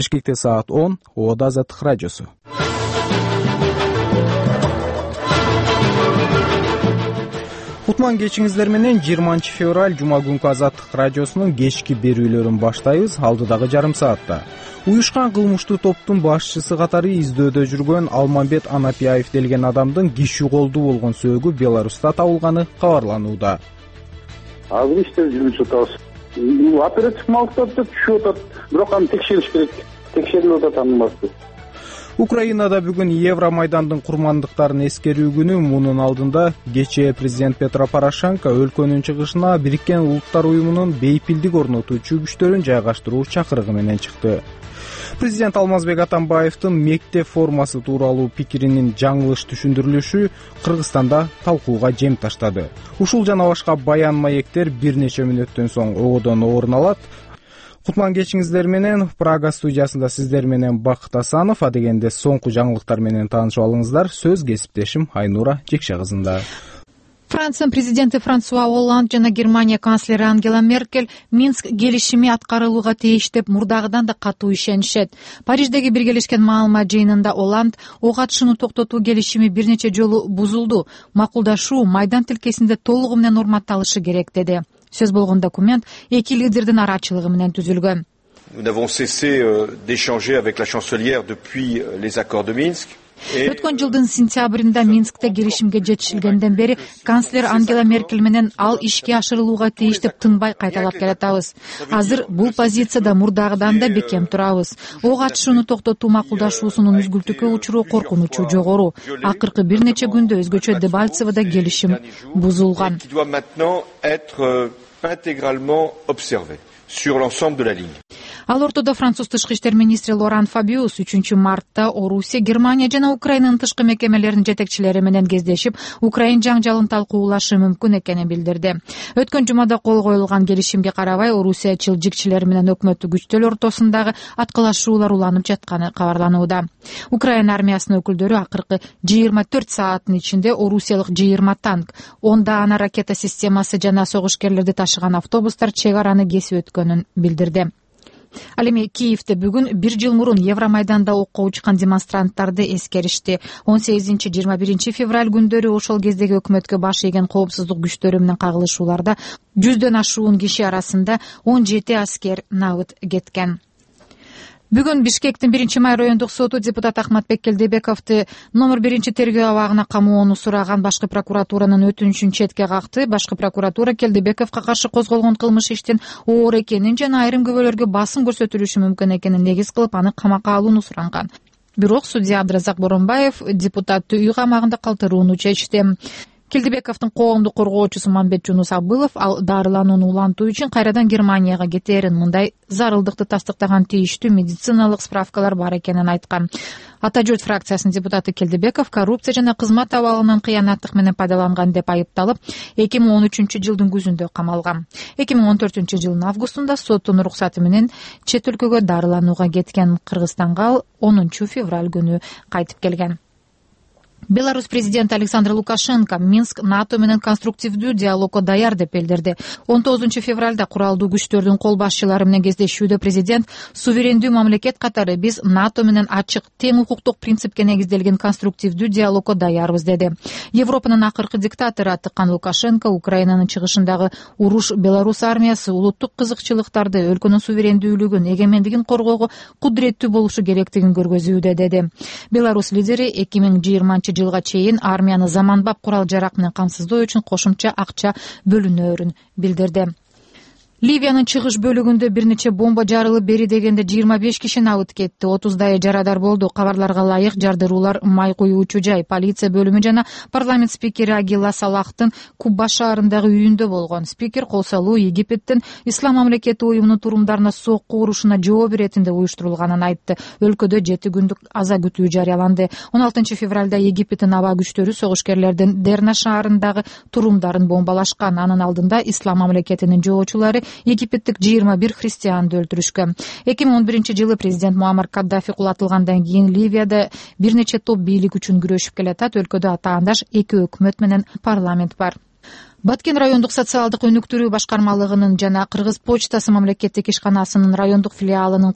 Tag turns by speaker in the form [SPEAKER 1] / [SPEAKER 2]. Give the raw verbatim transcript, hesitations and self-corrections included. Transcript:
[SPEAKER 1] Бишкекте саат он. Ода Азаттык радиосу. Кутман кечиңиздер менен жыйырманчы февраль жума күнкү Азаттык радиосунун кечки берүүлөрүн баштайбыз. Алдыдагы жарым саатта уюшкан кылмыштуу топтун башчысы катары издөөдө жүргөн Алмамбет Анапияев делген адамдын киши колдуу болгон сөөгү Беларуста табылганы кабарланууда.
[SPEAKER 2] Азыр иштер жүрүп жатабыз. Оператив маалыматтар түшүп атат, бирок аны текшериш керек. Текшерилип атат анысы.
[SPEAKER 1] Украинада бүгүн Евромайдандын курмандыктарын эскерүү күнү. Мунун алдында кечээ президент Петро Порошенко өлкөнүн чыгышына Бириккен Улуттар уюмунун бейпилдик орнотуучу күчтөрүн жайгаштыруу чакырыгы менен чыкты. Президент Алмазбек Атамбаевдин мектеп формасы тууралуу пикиринин жаңылыш түшүндүрүлүшү Кыргызстанда талкууга жем таштады. Ушул жана башка баян маектер бир нече мүнөттөн соң ободон орун алат. Кутман кечиңиздер менен Прага студиясында сиздер менен Бакыт Асанов. Адегенде соңку жаңылыктар менен таанышып алыңыздар. Сөз кесиптешим Айнура Жекше кызында.
[SPEAKER 3] Франциянын президенти Франсуа Олланд жана Германия канцлери Ангела Меркель Минск келишими аткарылууга тийиш деп мурдагыдан да катуу ишенишет. Париждеги биргелешкен маалымат жыйынында Олланд ок атышууну токтотуу келишими бир нече жолу бузулду. Макулдашуу майдан тилкесинде толугу менен урматталышы керек деди. Сөз болгон документ эки лидердин арачылыгы менен түзүлгөн.
[SPEAKER 4] Nous n'avons cessé d'échanger avec la chancelière depuis les accords de Minsk.
[SPEAKER 3] Өткөн жылдын сентябрында Минскте келишимге жетишилгенден бери канцлер Ангела Меркель менен ал ишке ашырылууга тийиш деп тынбай кайталап келатабыз. Азыр бул позицияда мурдагыдан да бекем турабыз. Ок атышууну токтотуу макулдашуусунун үзгүлтүккө учуруу коркунучу жогору. Акыркы бир нече күндө өзгөчө Дебальцевода келишим бузулган.
[SPEAKER 4] Sur l'ensemble de la ligne.
[SPEAKER 3] Ал ортодо француз тышкы иштер министри Лоран Фабиус үчүнчү мартта Орусия, Германия жана Украинанын тышкы мекемелеринин жетекчилери менен кездешип, Украин жаңжалын талкуулашы мүмкүн экенин билдирди. Өткөн жумада кол коюлган келишимге карабай, Орусия чылжикчилери менен өкмөттүк күчтөр ортосундагы аткылашуулар уланып жатканы кабарланууда. Украина армиясынын өкүлдөрү акыркы жыйырма төрт сааттын ичинде орусиялык жыйырма танк, ондагана ракета системасы жана согушкерлерди ташыган автобустар чек араны кесип өткөнүн билдирди. Ал эми Киевде бүгүн бир жыл мурун Евромайданда окко учкан демонстранттарды эскеришти. он сегизинчи жыйырма биринчи февраль күндөрү ошол кездеги өкмөткө баш ийген коопсуздук күчтөрү менен кагылышууларда жүздөн ашуун киши арасында он жети аскер набыт кеткен. Бүгүн Бишкектин биринчи май райондук соту депутат Ахматбек Келдебековду номер биринчи тергөө абагына камоону сураган башкы прокуратуранын өтүнүчүн четке какты. Башкы прокуратура Келдебековго каршы козголгон кылмыш иштин оор экенин жана айрым күбөлөргө басым көрсөтүлүшү мүмкүн экенин негиз кылып, аны камакка алууну суранган. Бирок судья Абдыразак Боронбаев депутатты үй камагында калтырууну чечти. Келдебековдун коомдук коргоочусу Мамбет Жунус Абылов ал дарыланууну улантуу үчүн кайрадан Германияга кетерин, мындай зарылдыкты тастыктаган тийиштүү медициналык справкалар бар экенин айткан. Ата журт фракциясынын депутаты Келдебеков коррупция жана кызмат абалынан кыянаттык менен пайдаланган деп айыпталып, эки миң он үчүнчү жылдын күзүндө камалган. эки миң он төртүнчү жылдын августунда соттун уруксаты менен чет өлкөгө дарыланууга кеткен. Кыргызстанга ал онунчу февраль күнү кайтып келген. Беларусь президенти Александр Лукашенко Минск НАТО менен конструктивдүү диалогго даяр деп билдирди. он тогузунчу февралда куралдуу күчтөрдүн кол башчылары менен кездешүүдө президент суверендүү мамлекет катары биз НАТО менен ачык, тең укуктук принципке негизделген конструктивдүү диалогго даярбыз деди. Европанын акыркы диктатору атыккан Лукашенко Украинанын чыгышындагы уруш Беларусь армиясы улуттук кызыкчылыктарды, өлкөнүн суверендүүлүгүн, эгемендигин коргоого кудуреттүү болушу керектигин көргөзүүдө деди. Беларусь лидери эки миң жыйырманчы жылга чейин армияны заманбап курал жарак менен камсыздоо үчүн кошумча акча бөлүнөөрүн билдирди. Ливиянын чыгыш бөлүгүндө бир нече бомба жарылып, бери дегенде жыйырма беш киши набыт кетти. отуздайы жарадар болду. Кабарларга ылайык жардыруулар май куюучу жай, полиция бөлүмү жана парламент спикери Агила Салахтын Кубба шаарындагы үйүндө болгон. Спикер кол салуу Египеттин Ислам мамлекети уюмунун турумдарына сокку урушуна жооп беретинде уюштурулганын айтты. Өлкөдө жети күндүк аза күтүү жарыяланды. он алтынчы февралда Египеттин аба күчтөрү согушкерлердин Дерна шаарындагы турумдарын бомбалашкан. Анын алдында Ислам мамлекетинин жоочулары Египеттик жыйырма бир христианды өлтүрүшкөн. эки миң он биринчи жылы президент Муаммар Каддафи кулатылгандан кийин Ливияда бир нече топ бийлик үчүн күрөшүп келатат. Өлкөдө атаандаш эки өкмөт менен парламент бар. Баткен райондук социалдык өнүктүрүү башкармалыгынын жана Кыргыз почтасы мамлекеттик ишканасынын райондук филиалынын